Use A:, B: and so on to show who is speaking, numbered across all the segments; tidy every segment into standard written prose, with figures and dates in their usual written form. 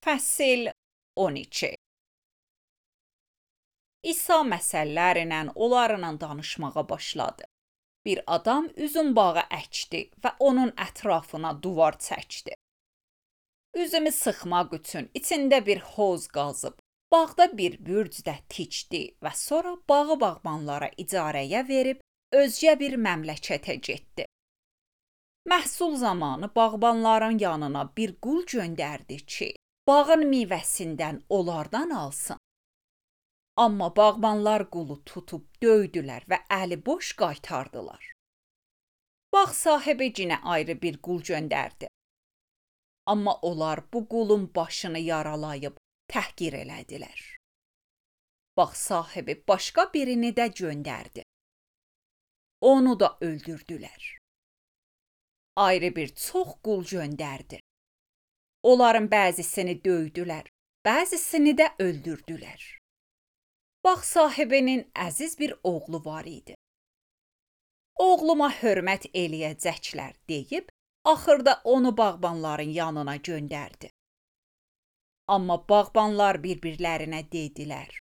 A: Fəsil 12. İsa məsəllərlə onlarla danışmağa başladı. Bir adam üzüm bağı əkdi və onun ətrafına duvar çəkdi. Üzümü sıxmaq üçün içində bir hovuz qazıb, bağda bir bürcdə tikdi və sonra bağı bağbanlara icarəyə verib özgə bir məmləkətə getdi. Məhsul zamanı bağbanların yanına bir qul göndərdi ki, bağın meyvəsindən onlardan alsın. Amma bağbanlar qulu tutub döydülər və əli boş qaytardılar. Bağ sahibi yenə ayrı bir qul göndərdi. Amma onlar bu qulun başını yaralayıb təhqir elədilər. Bağ sahibi başqa birini də göndərdi. Onu da öldürdülər. Ayrı bir çox qul göndərdi. Onların bəzisini döydülər, bəzisini də öldürdülər. Bağ sahibinin əziz bir oğlu var idi. Oğluma hörmət eləyəcəklər deyib, axırda onu bağbanların yanına göndərdi. Amma bağbanlar bir-birlərinə dedilər,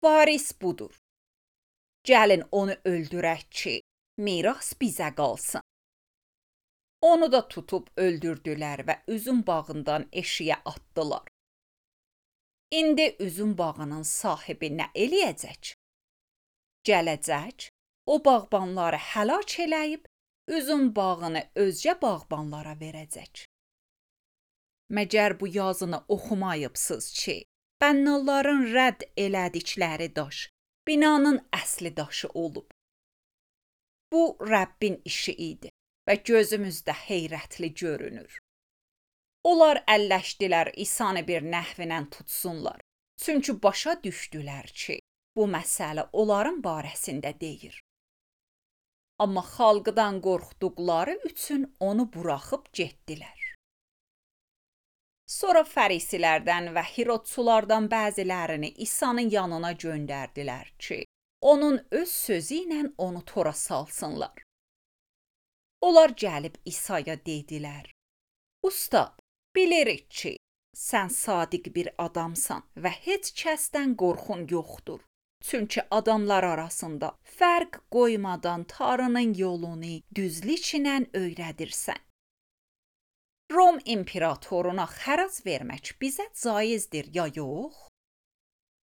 A: varis budur. Gəlin onu öldürək ki, miras bizə qalsın. Onu da tutub öldürdülər və üzüm bağından eşiyə atdılar. İndi üzüm bağının sahibi nə eləyəcək? Gələcək, o bağbanları həlak eləyib, üzüm bağını özgə bağbanlara verəcək. Məgər bu yazını oxumayıbsınız ki, bənnalların rədd elədikləri daş, binanın əsli daşı olub. Bu, Rəbbin işi idi və gözümüzdə heyrətli görünür. Onlar əlləşdilər İsanı bir nəhvinə tutsunlar. Çünki başa düşdülər ki, bu məsələ onların barəsində deyir. Amma xalqdan qorxduqları üçün onu buraxıb getdilər. Sonra fərisilərdən və Hirodçulardan bəzilərini İsa'nın yanına göndərdilər ki, onun öz sözü ilə onu tora salsınlar. Onlar gəlib İsa'ya dedilər, Ustad, bilirik ki, sən sadiq bir adamsan və heç kəsdən qorxun yoxdur. Çünki adamlar arasında fərq qoymadan Tanrının yolunu düzlüklə öyrədirsən. Rom imperatoruna xərac vermək bizə caizdir ya yox?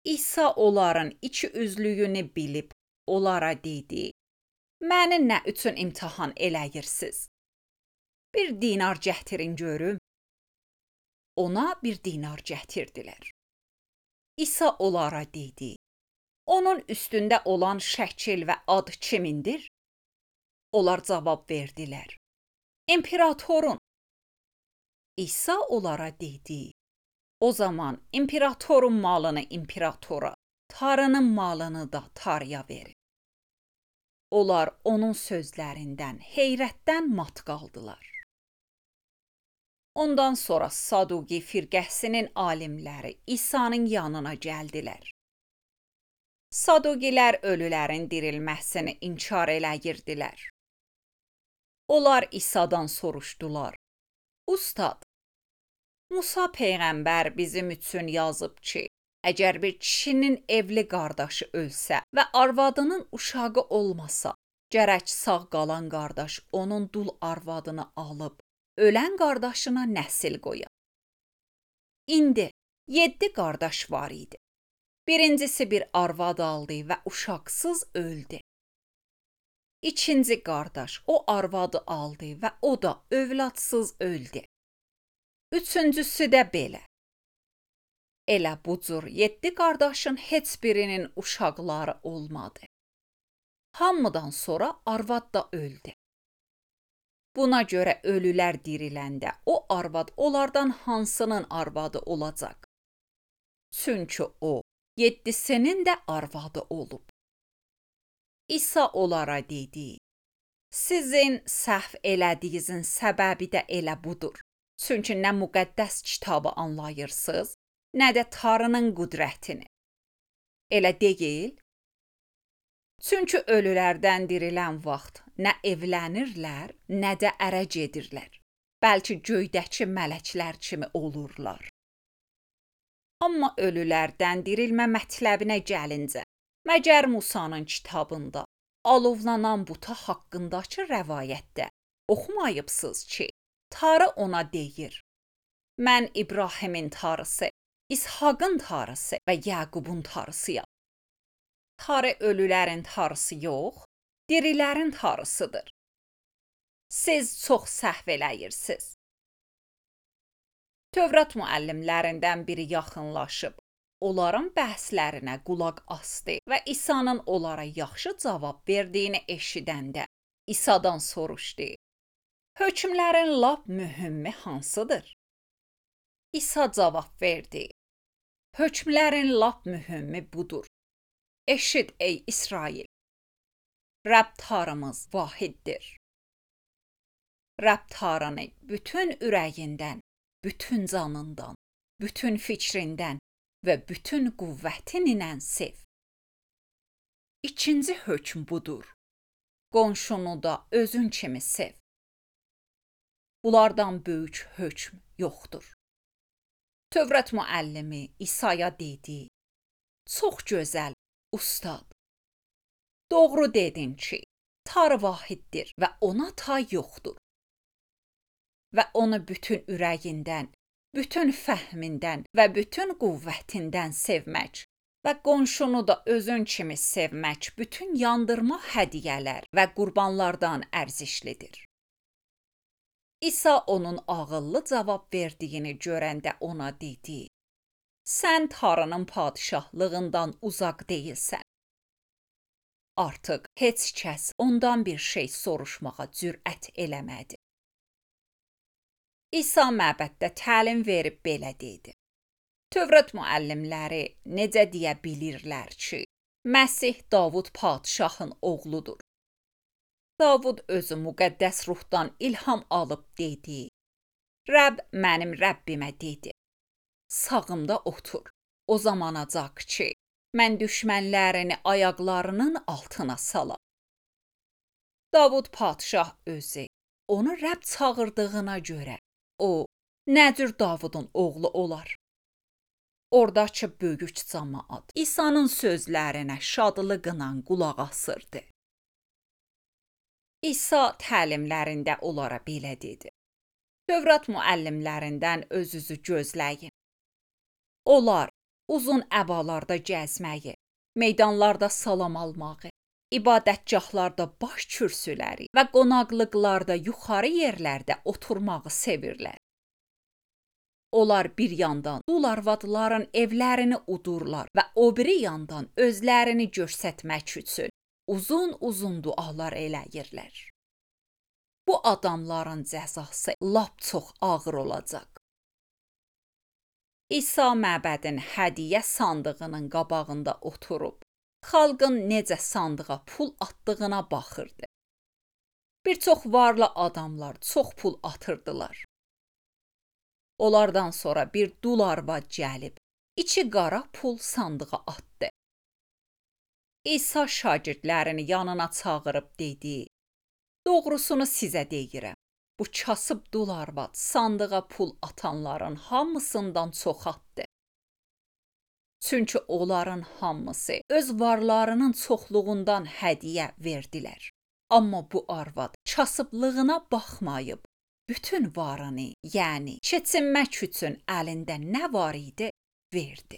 A: İsa onların iki üzlüyünü bilib onlara dedi, məni nə üçün imtahan eləyirsiniz? Bir dinar gətirin görüm. Ona bir dinar gətirdilər. İsa onlara dedi, onun üstündə olan şəkil və ad kimindir? Onlar cavab verdilər, imperatorun. İsa onlara dedi, o zaman imperatorun malını imperatora, Tanrının malını da Tanrıya verin. Onlar onun sözlərindən heyrətdən mat qaldılar. Ondan sonra Saduqi firqəsinin alimləri İsa'nın yanına gəldilər. Saduqilər ölülərin dirilməsini inkar eləyirdilər. Onlar İsa'dan soruşdular, Ustad, Musa peyğəmbər bizim üçün yazıb ki, əgər bir kişinin evli qardaşı ölsə və arvadının uşağı olmasa, gərək sağ qalan qardaş onun dul arvadını alıb, ölən qardaşına nəsil qoya. İndi 7 qardaş var idi. Birincisi bir arvad aldı və uşaqsız öldü. İkinci qardaş o arvadı aldı və o da övladsız öldü. Üçüncüsü də belə. Elə bu cür 7 qardaşın heç birinin uşaqları olmadı. Hamıdan sonra arvad da öldü. Buna görə ölülər diriləndə o arvad onlardan hansının arvadı olacaq? Çünki o, 7-sinin də arvadı olub. İsa onlara dedi, sizin səhv elədiyinizin səbəbi də elə budur. Çünki nə müqəddəs kitabı anlayırsınız, nə də Tanrının qüdrətini. Elə deyil? Çünki ölülərdən dirilən vaxt nə evlənirlər, nə də ərə gedirlər. Bəlkə göydəki mələklər kimi olurlar. Amma ölülərdən dirilmə mətləbinə gəlincə, məgər Musanın kitabında alovlanan buta haqqındakı rəvayətdə oxumayıbsınız ki, Tanrı ona deyir: mən İbrahimin Tanrısı, İshaqın Tanrısı və Yaqubun Tanrısıyam. Tanrı ölülərin Tanrısı yox, dirilərin Tanrısıdır. Siz çox səhv eləyirsiniz. Tövrat müəllimlərindən biri yaxınlaşıb, onların bəhslərinə qulaq asdı və İsa'nın onlara yaxşı cavab verdiyini eşidəndə İsa'dan soruşdu: hökmlərin lap mühümmi hansıdır? İsa cavab verdi: hökmlərin lap mühümmi budur. Eşit ey İsrail, Rəbb Tanrımız vahiddir. Rəbb Tanrını bütün ürəyindən, bütün canından, bütün fikrindən və bütün qüvvətin ilə sev. İkinci hökm budur: qonşunu da özün kimi sev. Bunlardan böyük hökm yoxdur. Tövrat müəllimi İsa'ya dedi: çox gözəl, ustad. Doğru dedin ki, Tanrı vahiddir və ona tay yoxdur. Və onu bütün ürəyindən, bütün fəhmindən və bütün qüvvətindən sevmək və qonşunu da özün kimi sevmək bütün yandırma hədiyyələr və qurbanlardan ərzişlidir. İsa onun ağıllı cavab verdiyini görəndə ona dedi: sən Tanrının padişahlığından uzaq deyilsən. Artıq heç kəs ondan bir şey soruşmağa cürət eləmədi. İsa məbəddə təlim verib belə dedi: Tövrat müəllimləri necə deyə bilirlər ki, Məsih Davud padişahın oğludur. Davud özü müqəddəs ruhdan ilham alıb dedi: Rəbb mənim Rəbbimə dedi: sağımda otur, o zamanacaq ki, mən düşmənlərini ayaqlarının altına salam. Davud padişah özü onu Rəbb çağırdığına görə o nə cür Davudun oğlu olar? Oradakı böyük cəmaət İsa'nın sözlərinə şadlıqla qulaq asırdı. İsa təlimlərində onlara belə dedi: Tövrat müəllimlərindən özünüzü gözləyin. Onlar uzun əbalarda gəzməyi, meydanlarda salam almağı, ibadətgahlarda baş kürsüləri və qonaqlıqlarda yuxarı yerlərdə oturmağı sevirlər. Onlar bir yandan dul arvadların evlərini udurlar və o biri yandan özlərini göstərmək üçün uzun dualar eləyirlər. Bu adamların cəzası lap çox ağır olacaq. İsa məbədin hədiyyə sandığının qabağında oturub, xalqın necə sandığa pul atdığına baxırdı. Bir çox varlı adamlar çox pul atırdılar. Onlardan sonra bir dul arvad gəlib, içi qara pul sandığa atdı. İsa şagirdlərini yanına çağırıb dedi: Doğrusunu sizə deyirəm, bu kasıb dul arvad sandığa pul atanların hamısından çox atdı. Çünki onların hamısı öz varlarının çoxluğundan hədiyyə verdilər. Amma bu arvad kasıblığına baxmayıb, bütün varını, yəni keçinmək üçün əlində nə var idi, verdi.